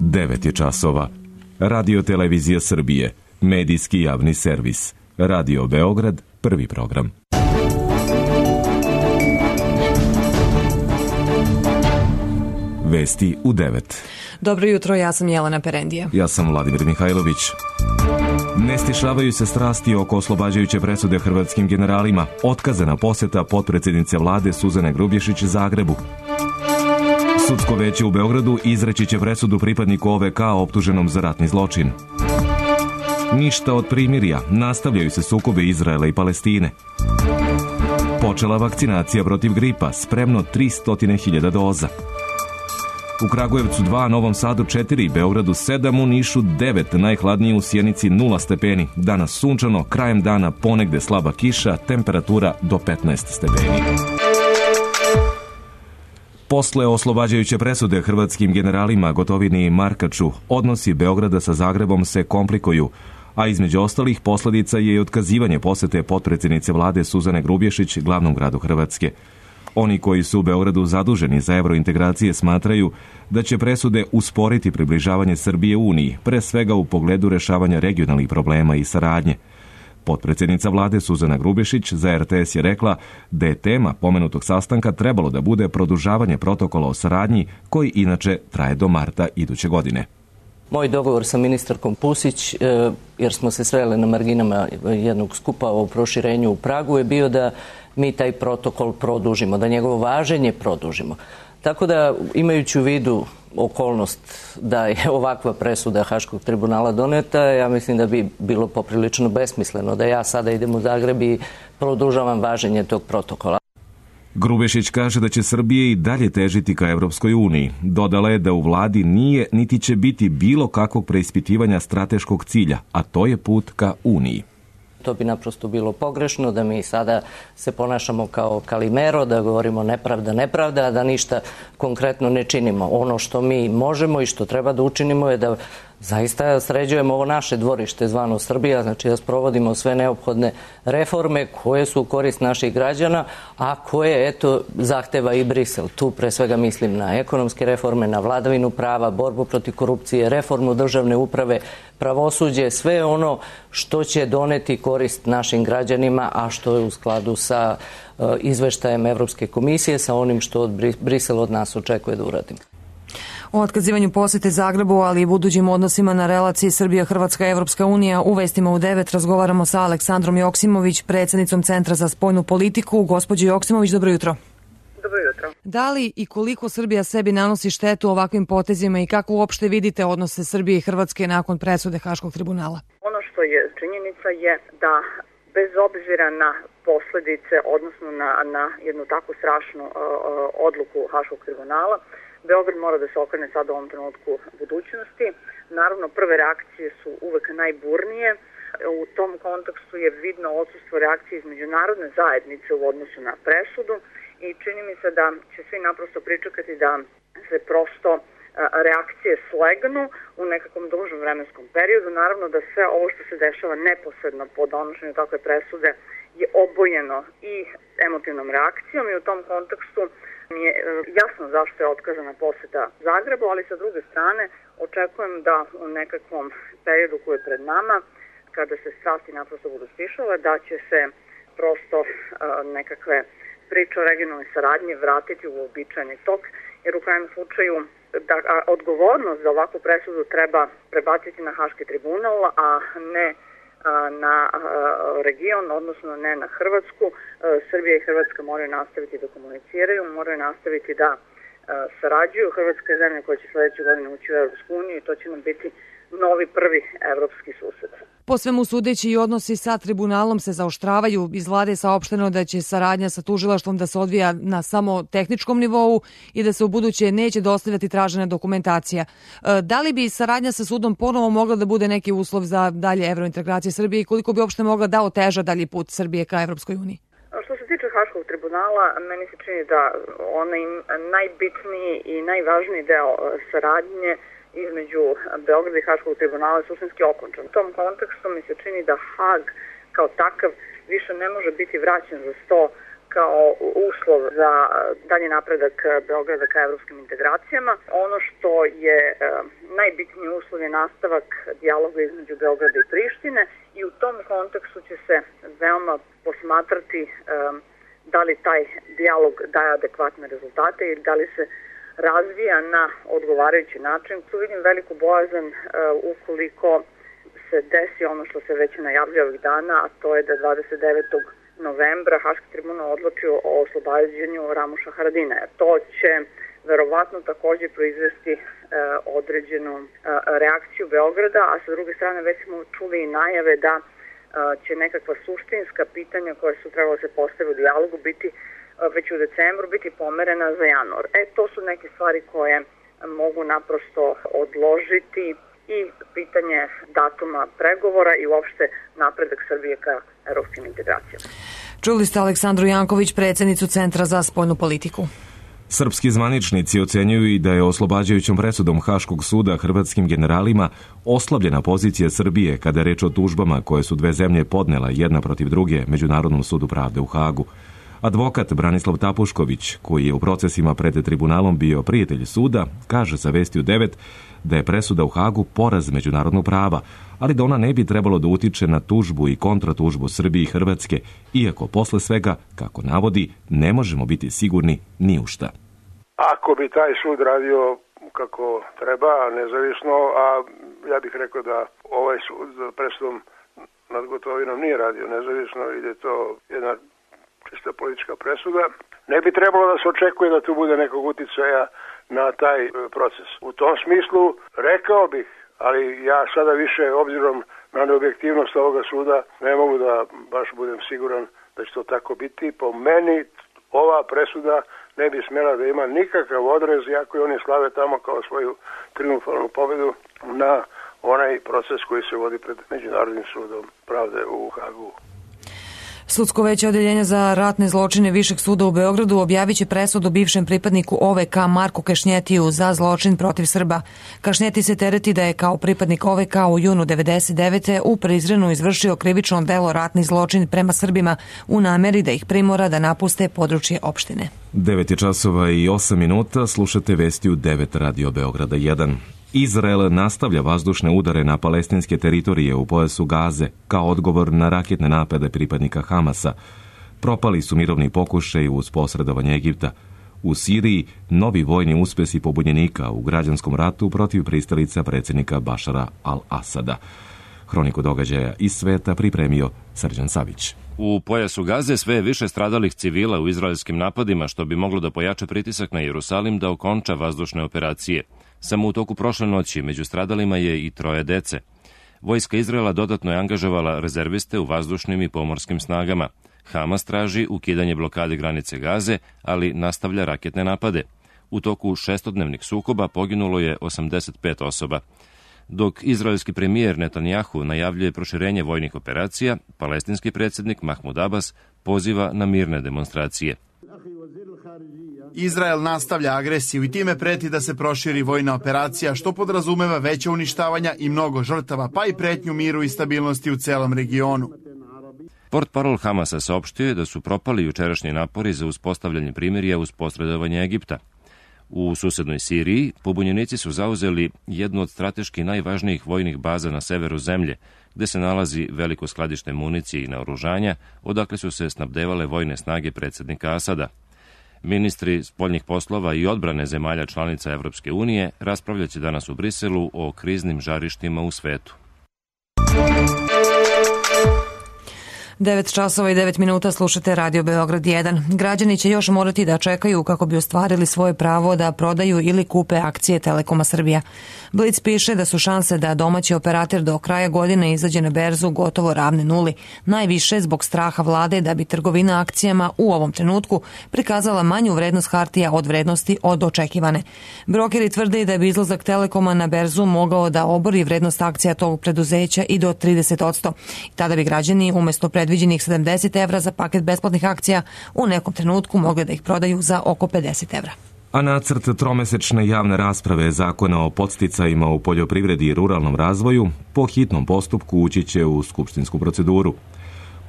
9 je časova. Radio Televizija Srbije, medijski javni servis. Radio Beograd, prvi program. Vesti u 9. Dobro jutro, ja sam Jelena Perendija. Ja sam Vladimir Mihajlović. Ne stišavaju se strasti oko oslobađajuće presude hrvatskim generalima. Otkazana poseta potpredsjednice vlade Suzane Grubješić Zagrebu. Sudsko veće u Beogradu izreći će presudu pripadniku OVK optuženom za ratni zločin. Ništa od primirja, nastavljaju se sukobe Izraela i Palestine. Počela vakcinacija protiv gripa, spremno 300.000 doza. U Kragujevcu 2, Novom Sadu 4, Beogradu 7, u Nišu 9, najhladnije u Sjenici 0 stepeni. Danas sunčano, krajem dana ponegde slaba kiša, temperatura do 15 stepeni. Posle oslobađajuće presude hrvatskim generalima Gotovini i Markaču, odnosi Beograda sa Zagrebom se komplikuju, a između ostalih posljedica je i otkazivanje posete potpredsjednice vlade Suzane Grubješić glavnom gradu Hrvatske. Oni koji su u Beogradu zaduženi za evrointegracije smatraju da će presude usporiti približavanje Srbije Uniji, pre svega u pogledu rešavanja regionalnih problema i saradnje. Potpredsjednica vlade Suzana Grubješić za RTS je rekla da je tema pomenutog sastanka trebalo da bude produžavanje protokola o saradnji koji inače traje do marta iduće godine. Moj dogovor sa ministarkom Pusić, jer smo se sreli na marginama jednog skupa o proširenju u Pragu, je bio da mi taj protokol produžimo, da njegovo važenje produžimo. Tako da, imajući u vidu okolnost da je ovakva presuda Haškog tribunala doneta, ja mislim da bi bilo poprilično besmisleno da ja sada idem u Zagreb i produžavam važenje tog protokola. Grubješić kaže da će Srbije i dalje težiti ka Evropskoj uniji. Dodala je da u vladi nije niti će biti bilo kakvog preispitivanja strateškog cilja, a to je put ka Uniji. To bi naprosto bilo pogrešno, da mi sada se ponašamo kao Kalimero, da govorimo nepravda, a da ništa konkretno ne činimo. Ono što mi možemo i što treba da učinimo je da zaista sređujemo ovo naše dvorište zvano Srbija, znači da sprovodimo sve neophodne reforme koje su u korist naših građana, a koje, eto, zahteva i Brisel. Tu pre svega mislim na ekonomske reforme, na vladavinu prava, borbu protiv korupcije, reformu državne uprave, pravosuđe, sve ono što će doneti korist našim građanima, a što je u skladu sa izveštajem Evropske komisije, sa onim što Brisel od nas očekuje da uradimo. O otkazivanju posete Zagrebu, ali i budućim odnosima na relaciji Srbija-Hrvatska-Evropska unija u vestima u 9 razgovaramo sa Aleksandrom Joksimović, predsjednicom Centra za spoljnu politiku. Gospođo Joksimović, dobro jutro. Dobro jutro. Da li i koliko Srbija sebi nanosi štetu ovakvim potezima i kako uopšte vidite odnose Srbije i Hrvatske nakon presude Haškog tribunala? Ono što je činjenica je da bez obzira na posljedice, odnosno na jednu takvu strašnu odluku Haškog tribunala, Beograd mora da se okrene sada u ovom trenutku budućnosti. Naravno, prve reakcije su uvek najburnije. U tom kontekstu je vidno odsustvo reakcije iz međunarodne zajednice u odnosu na presudu i čini mi se da će svi naprosto pričekati da se prosto reakcije slegnu u nekakvom dužem vremenskom periodu. Naravno da sve ovo što se dešava neposredno po donošenju takve presude je obojeno i emotivnom reakcijom i u tom kontekstu mi je jasno zašto je otkazana poseta Zagrebu, ali sa druge strane očekujem da u nekakvom periodu koji je pred nama, kada se strasti naprosto budu stišale, da će se prosto nekakve priče o regionalnoj saradnji vratiti u uobičajeni tok, jer u krajnjem slučaju da odgovornost za ovakvu presudu treba prebaciti na Haški tribunal, a ne na region, odnosno ne na Hrvatsku. Srbija i Hrvatska moraju nastaviti da komuniciraju, moraju nastaviti da sarađuju. Hrvatska je zemlja koja će sledeće godine ući u Evropsku uniju i to će nam biti novi prvi evropski sused. Po svemu sudeći i odnosi sa tribunalom se zaoštravaju. Iz vlade je saopšteno da će saradnja sa tužilaštvom da se odvija na samo tehničkom nivou i da se u buduće neće dostavljati tražena dokumentacija. Da li bi saradnja sa sudom ponovo mogla da bude neki uslov za dalje evrointegracije Srbije i koliko bi uopšte mogla da oteža dalji put Srbije ka Evropskoj uniji? Što se tiče Haškog tribunala, meni se čini da onaj najbitniji i najvažniji deo saradnje između Beograda i Haškog tribunala je suštinski okončan. U tom kontekstu mi se čini da Hag kao takav više ne može biti vraćen za sto kao uslov za dalji napredak Beograda ka evropskim integracijama. Ono što je najbitniji uslov je nastavak dijaloga između Beograda i Prištine i u tom kontekstu će se veoma posmatrati da li taj dijalog daje adekvatne rezultate ili da li se razvija na odgovarajući način. Tu vidim veliku bojazan ukoliko se desi ono što se već najavljuje ovih dana, a to je da 29. novembra Haški tribunal odlučio o oslobađanju Ramuša Haradinaja. To će verovatno također proizvesti određenu reakciju Beograda, a sa druge strane već smo čuli i najave da će nekakva suštinska pitanja koja su trebalo se postaviti u dijalogu biti već u decembru biti pomerena za januar. To su neke stvari koje mogu naprosto odložiti i pitanje datuma pregovora i uopšte napredak Srbije ka evropskim integracijama. Čuli ste Aleksandru Janković, predsjednicu Centra za spoljnu politiku. Srpski zvaničnici ocenjuju i da je oslobađajućom presudom Haškog suda hrvatskim generalima oslabljena pozicija Srbije kada je reč o tužbama koje su dve zemlje podnela jedna protiv druge Međunarodnom sudu pravde u Hagu. Advokat Branislav Tapušković, koji je u procesima pred tribunalom bio prijatelj suda, kaže za Vesti u 9 da je presuda u Hagu poraz međunarodnog prava, ali da ona ne bi trebalo da utiče na tužbu i kontratužbu Srbije i Hrvatske, iako posle svega, kako navodi, ne možemo biti sigurni ni u šta. Ako bi taj sud radio kako treba, nezavisno, a ja bih rekao da ovaj sud za presudom nad Gotovinom nije radio nezavisno i da je to jedna čista politička presuda, ne bi trebalo da se očekuje da tu bude nekog uticaja na taj proces. U tom smislu rekao bih, ali ja sada više obzirom na neobjektivnost ovoga suda ne mogu da baš budem siguran da će to tako biti. Po meni ova presuda ne bi smjela da ima nikakav odrez, iako i oni slave tamo kao svoju triumfalnu pobedu na onaj proces koji se vodi pred Međunarodnim sudom pravde u Hagu. Sudsko veće odeljenja za ratne zločine Višeg suda u Beogradu objavit će presudu bivšem pripadniku OVK Marku Kešnjetiju za zločin protiv Srba. Kašnjeti se tereti da je kao pripadnik OVK u junu 1999. u Prizrenu izvršio krivično delo ratni zločin prema Srbima u nameri da ih primora da napuste područje opštine. 9:08, slušate Vesti u 9 Radio Beograda 1. Izrael nastavlja vazdušne udare na palestinske teritorije u pojasu Gaze kao odgovor na raketne napade pripadnika Hamasa. Propali su mirovni pokušaj uz posredovanje Egipta. U Siriji novi vojni uspesi pobunjenika u građanskom ratu protiv pristalica predsjednika Bašara al-Asada. Hroniku događaja iz sveta pripremio Srđan Savić. U pojasu Gaze sve je više stradalih civila u izraelskim napadima, što bi moglo da pojača pritisak na Jerusalim da okonča vazdušne operacije. Samo u toku prošle noći među stradalima je i 3 dece. Vojska Izraela dodatno je angažovala rezerviste u vazdušnim i pomorskim snagama. Hamas traži ukidanje blokade granice Gaze, ali nastavlja raketne napade. U toku 6-dnevnih sukoba poginulo je 85 osoba. Dok izraelski premijer Netanjahu najavljuje proširenje vojnih operacija, palestinski predsjednik Mahmud Abbas poziva na mirne demonstracije. Izrael nastavlja agresiju i time preti da se proširi vojna operacija, što podrazumeva veće uništavanja i mnogo žrtava, pa i pretnju miru i stabilnosti u celom regionu. Portparol Hamasa saopštio je da su propali jučerašnji napori za uspostavljanje primirja uz posredovanje Egipta. U susednoj Siriji pobunjenici su zauzeli jednu od strateški najvažnijih vojnih baza na severu zemlje, gde se nalazi veliko skladište municije i naoružanja, odakle su se snabdevale vojne snage predsjednika Asada. Ministri spoljnih poslova i odbrane zemalja članica Evropske unije raspravljaće danas u Briselu o kriznim žarištima u svetu. 9:09 slušate Radio Beograd 1. Građani će još morati da čekaju kako bi ostvarili svoje pravo da prodaju ili kupe akcije Telekoma Srbija. Blic piše da su šanse da domaći operater do kraja godine izađe na berzu gotovo ravne nuli. Najviše zbog straha vlade da bi trgovina akcijama u ovom trenutku prikazala manju vrednost hartija od vrednosti od očekivane. Brokeri tvrde da bi izlazak Telekoma na berzu mogao da obori vrednost akcija tog preduzeća i do 30%. Tada bi građani umesto predviđenih 70 evra za paket besplatnih akcija u nekom trenutku mogli da ih prodaju za oko 50 evra. A nacrt tromesečne javne rasprave Zakona o podsticajima u poljoprivredi i ruralnom razvoju po hitnom postupku ući će u skupštinsku proceduru.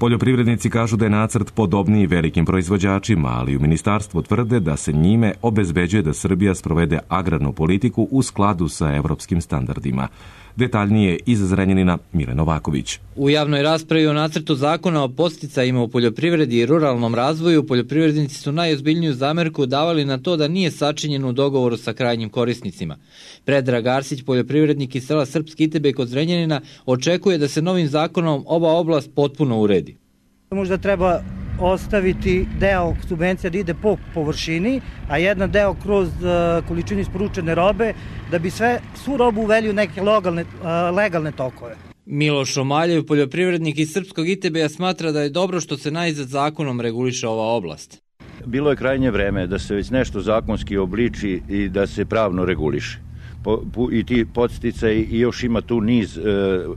Poljoprivrednici kažu da je nacrt podobniji velikim proizvođačima, ali u ministarstvu tvrde da se njime obezbeđuje da Srbija sprovede agrarnu politiku u skladu sa evropskim standardima. Detaljnije iz Zrenjanina Mile Novaković. U javnoj raspravi o nacrtu zakona o podsticajima u poljoprivredi i ruralnom razvoju poljoprivrednici su najozbiljniju zamerku davali na to da nije sačinjen u dogovoru sa krajnjim korisnicima. Predrag Arsić, poljoprivrednik iz sela Srpski Itebej kod Zrenjanina, očekuje da se novim zakonom ova oblast potpuno uredi. Možda treba ostaviti deo subvencija da ide po površini, a jedan deo kroz količinu isporučene robe, da bi svu robu uveli u neke legalne tokove. Miloš Omaljev, poljoprivrednik iz Srpskog Itebeja, smatra da je dobro što se najzad zakonom reguliše ova oblast. Bilo je krajnje vreme da se već nešto zakonski obliči i da se pravno reguliše. I ti podsticaji i još ima tu niz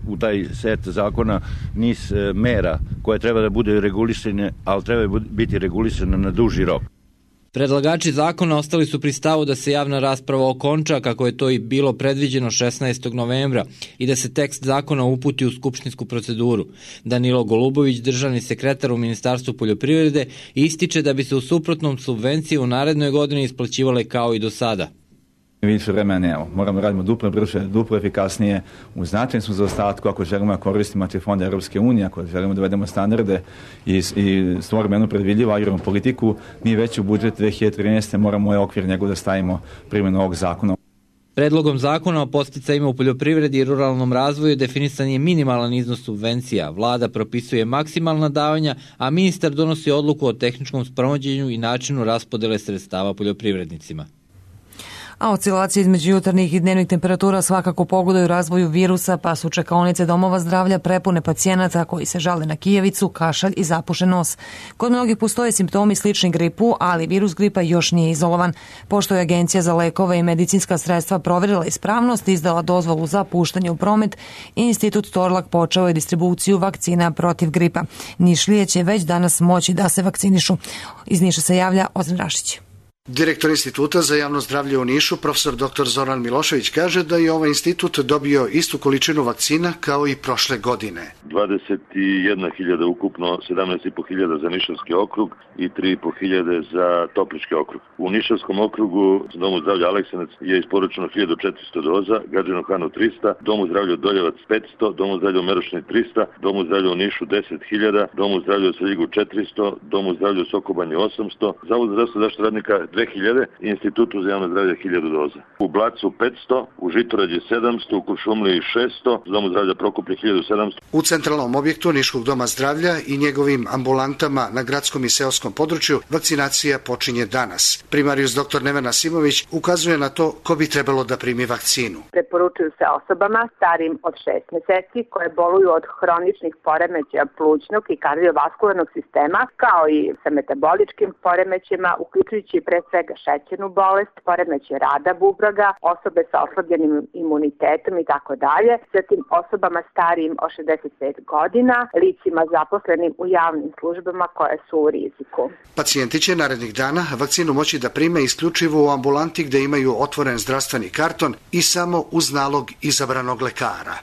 u taj set zakona niz mera koje treba da bude regulisane, ali treba biti regulisane na duži rok. Predlagači zakona ostali su pri stavu da se javna rasprava okonča, kako je to i bilo predviđeno 16. novembra, i da se tekst zakona uputi u skupštinsku proceduru. Danilo Golubović, državni sekretar u Ministarstvu poljoprivrede, ističe da bi se u suprotnom subvencije u narednoj godini isplaćivale kao i do sada. Više vremena nemamo. Moramo radimo duplo brže, duplo efikasnije. U značajnom smo zaostatku ako želimo da koristimo fonde Europske unije, ako želimo da uvedemo standarde i stvorimo jednu predvidljivu agrarnu politiku. Mi već u budžet 2013. moramo ovaj okvir njegov da stavimo primjenu ovog zakona. Predlogom zakona o podsticajima u poljoprivredi i ruralnom razvoju definisan je minimalan iznos subvencija. Vlada propisuje maksimalna davanja, a ministar donosi odluku o tehničkom sprovođenju i načinu raspodele sredstava poljoprivrednicima. A oscilacije između jutarnjih i dnevnih temperatura svakako pogodaju razvoju virusa, pa su čekaonice domova zdravlja prepune pacijenata koji se žale na kijevicu, kašalj i zapušen nos. Kod mnogih postoje simptomi slični gripu, ali virus gripa još nije izolovan. Pošto je Agencija za lekove i medicinska sredstva proverila ispravnost i izdala dozvolu za puštanje u promet, Institut Torlak počeo je distribuciju vakcina protiv gripa. Nišlije će već danas moći da se vakcinišu. Iz Niša se javlja Ozren Rašić. Direktor Instituta za javno zdravlje u Nišu, profesor dr. Zoran Milošević, kaže da je ovaj institut dobio istu količinu vakcina kao i prošle godine. 21.000 ukupno, 17.500 za Nišavski okrug i 3.500 za Toplički okrug. U Nišavskom okrugu Domu zdravlja Aleksanac je isporučeno 1400 doza, Gadžinu Hanu 300, Domu zdravlja Doljevac 500, Domu zdravlja u Merošini 300, Domu zdravlja u Nišu 10.000, Domu zdravlja u Svrljigu 400, Domu zdravlja u Sokobanji 800, Zavod za zdravstvenu zaštitu radnika 2000, Institutu za javno zdravlje 1000 doza. U Blacu 500, u Žitorađi 700, u Kuršumliji 600, Domu zdravlja Prokuplje 1700. U centralnom objektu Niškog doma zdravlja i njegovim ambulantama na gradskom i seoskom području vakcinacija počinje danas. Primarius dr. Nevena Simović ukazuje na to ko bi trebalo da primi vakcinu. Preporučuju se osobama starijim od 6 meseci koje boluju od hroničnih poremećaja plućnog i kardiovaskularnog sistema, kao i sa metaboličkim poremećajima, uključujući pre svega šećernu bolest, poremećaj rada bubrega, osobe sa oslabljenim imunitetom i tako dalje, zatim osobama starijim od 65 godina, licima zaposlenim u javnim službama koje su u riziku. Pacijenti će narednih dana vakcinu moći da prime isključivo u ambulanti gde imaju otvoren zdravstveni karton i samo uz nalog izabranog lekara.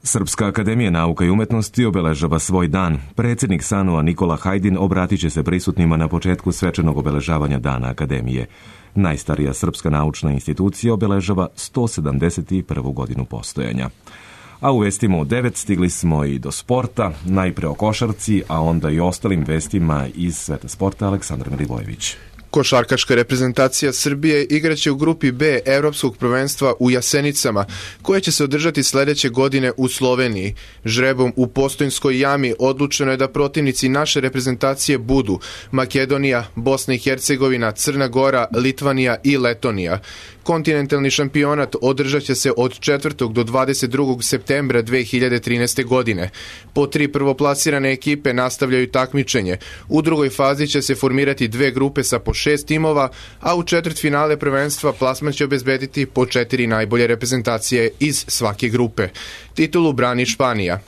Srpska akademija nauka i umetnosti obeležava svoj dan. Predsjednik SANU-a Nikola Hajdin obratit će se prisutnima na početku svečanog obeležavanja Dana akademije. Najstarija srpska naučna institucija obeležava 171. godinu postojanja. A u vestima u 9 stigli smo i do sporta, najpre o košarci, a onda i ostalim vestima iz sveta sporta. Aleksandar Milivojević. Košarkaška reprezentacija Srbije igraće u grupi B Evropskog prvenstva u Jasenicama, koje će se održati sledeće godine u Sloveniji. Žrebom u Postojnskoj jami odlučeno je da protivnici naše reprezentacije budu Makedonija, Bosna i Hercegovina, Crna Gora, Litvanija i Letonija. Kontinentalni šampionat održat će se od 4. do 22. septembra 2013. godine. Po 3 prvoplasirane ekipe nastavljaju takmičenje. U drugoj fazi će se formirati 2 grupe sa po 6 timova, a u četvrtfinale prvenstva plasman će obezbediti po 4 najbolje reprezentacije iz svake grupe. Titulu brani Španija.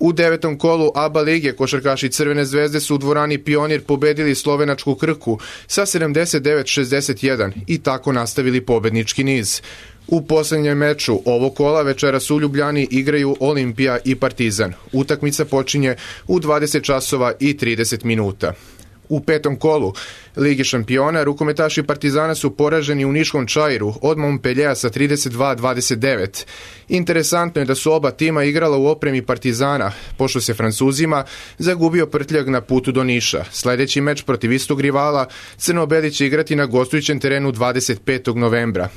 U 9. kolu ABA lige košarkaši Crvene zvezde su u dvorani Pionir pobedili slovenačku Krku sa 79-61 i tako nastavili pobednički niz. U poslednjem meču ovog kola večeras u Ljubljani igraju Olimpija i Partizan. Utakmica počinje u 20 časova i 30 minuta. U 5. kolu Lige šampiona rukometaši Partizana su poraženi u Niškom Čairu od Montpelliera sa 32-29. Interesantno je da su oba tima igrala u opremi Partizana, pošto se Francuzima zagubio prtljag na putu do Niša. Sledeći meč protiv istog rivala Crno-beli će igrati na gostujućem terenu 25. novembra.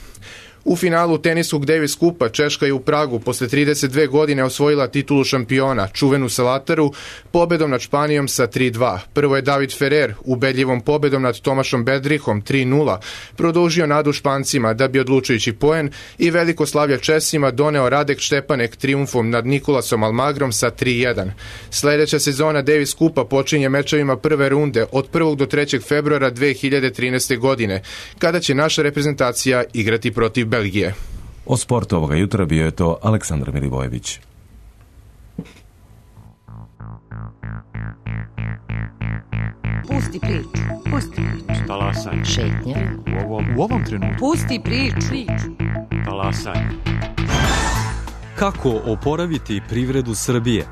U finalu teniskog Davis Kupa Češka je u Pragu posle 32 godine osvojila titulu šampiona, čuvenu Salataru, pobedom nad Španijom sa 3-2. Prvo je David Ferrer ubedljivom pobedom nad Tomašom Bedrihom 3-0 produžio nadu Špancima da bi odlučujući poen i veliko slavlje Česima doneo Radek Štepanek trijumfom nad Nikolasom Almagrom sa 3-1. Sledeća sezona Davis Kupa počinje mečevima prve runde od 1. do 3. februara 2013. godine, kada će naša reprezentacija igrati protiv Belgije. O sportu ovoga jutra bio je to Aleksandar Milivojević. Pusti priču. Pusti priču. Talasaj. Šetnja. U ovom trenutku. Pusti priču. Talasaj. Kako oporaviti privredu Srbije?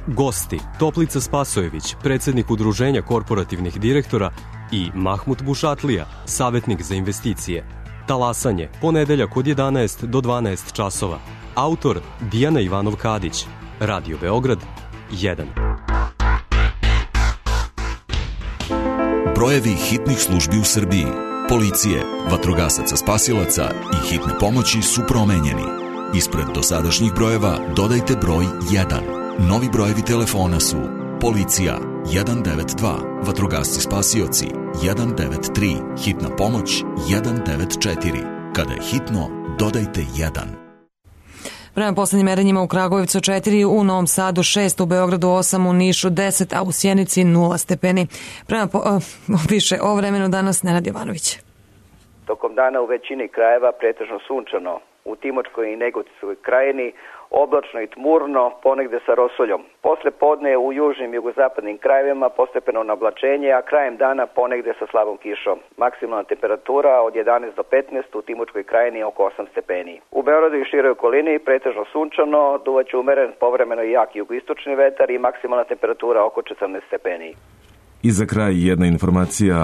Gosti Toplica Spasojević, predsjednik Udruženja korporativnih direktora, i Mahmut Bušatlija, savjetnik za investicije. Talasanje, ponedeljak od 11 do 12 časova. Autor Dijana Ivanov-Kadić. Radio Beograd 1. Brojevi hitnih službi u Srbiji, policije, vatrogasaca spasilaca i hitne pomoći su promenjeni. Ispred dosadašnjih brojeva dodajte broj 1. Novi brojevi telefona su policija 192, vatrogasci spasioci 193, hitna pomoć 194. Kada je hitno, dodajte 1. Prema poslednjim merenjima u Kragujevcu 4, u Novom Sadu 6, u Beogradu 8, u Nišu 10, a u Sjenici 0 stepeni. Prema više o vremenu danas Nenad Jovanović. Tokom dana u većini krajeva pretežno sunčano, u Timočkoj i Negotinskoj krajini oblačno i tmurno, ponegde sa rosoljom. Posle podne u južnim i jugozapadnim krajevima postepeno nablačenje, a krajem dana ponegde sa slabom kišom. Maksimalna temperatura od 11 do 15, u Timočkoj krajini oko 8 stepeni. U Beogradu i široj okolini pretežno sunčano, duvaće umeren povremeno i jak jugoistočni vetar i maksimalna temperatura oko 14 stepeni. I za kraj jedna informacija,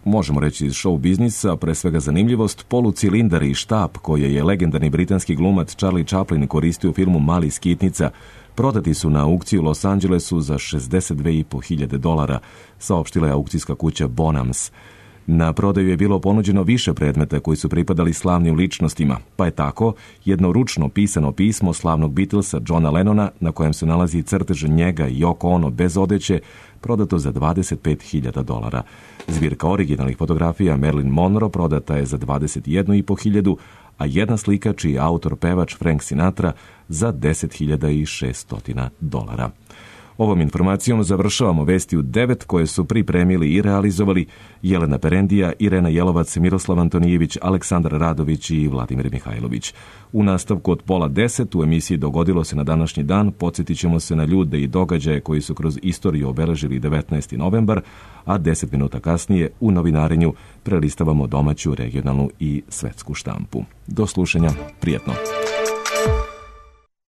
možemo reći iz show biznisa, pre svega zanimljivost, polucilindar i štap koje je legendarni britanski glumac Charlie Chaplin koristio u filmu Mali skitnica, prodati su na aukciji u Los Angelesu za $62.500, saopštila je aukcijska kuća Bonhams. Na prodaju je bilo ponuđeno više predmeta koji su pripadali slavnim ličnostima, pa je tako jedno ručno pisano pismo slavnog Beatlesa Johna Lennona, na kojem se nalazi crtež njega i Yoko Ono bez odeće, prodato za $25.000. Zbirka originalnih fotografija Marilyn Monroe prodata je za $21.500, a jedna slika čiji je autor pevač Frank Sinatra za $10.600. Ovom informacijom završavamo vesti u 9 koje su pripremili i realizovali Jelena Perendija, Irena Jelovac, Miroslav Antonijević, Aleksandar Radović i Vladimir Mihajlović. U nastavku od 9:30 u emisiji Dogodilo se na današnji dan podsjetit ćemo se na ljude i događaje koji su kroz istoriju obeležili 19. novembar, a 10 minuta kasnije u novinarenju prelistavamo domaću, regionalnu i svetsku štampu. Do slušanja, prijetno!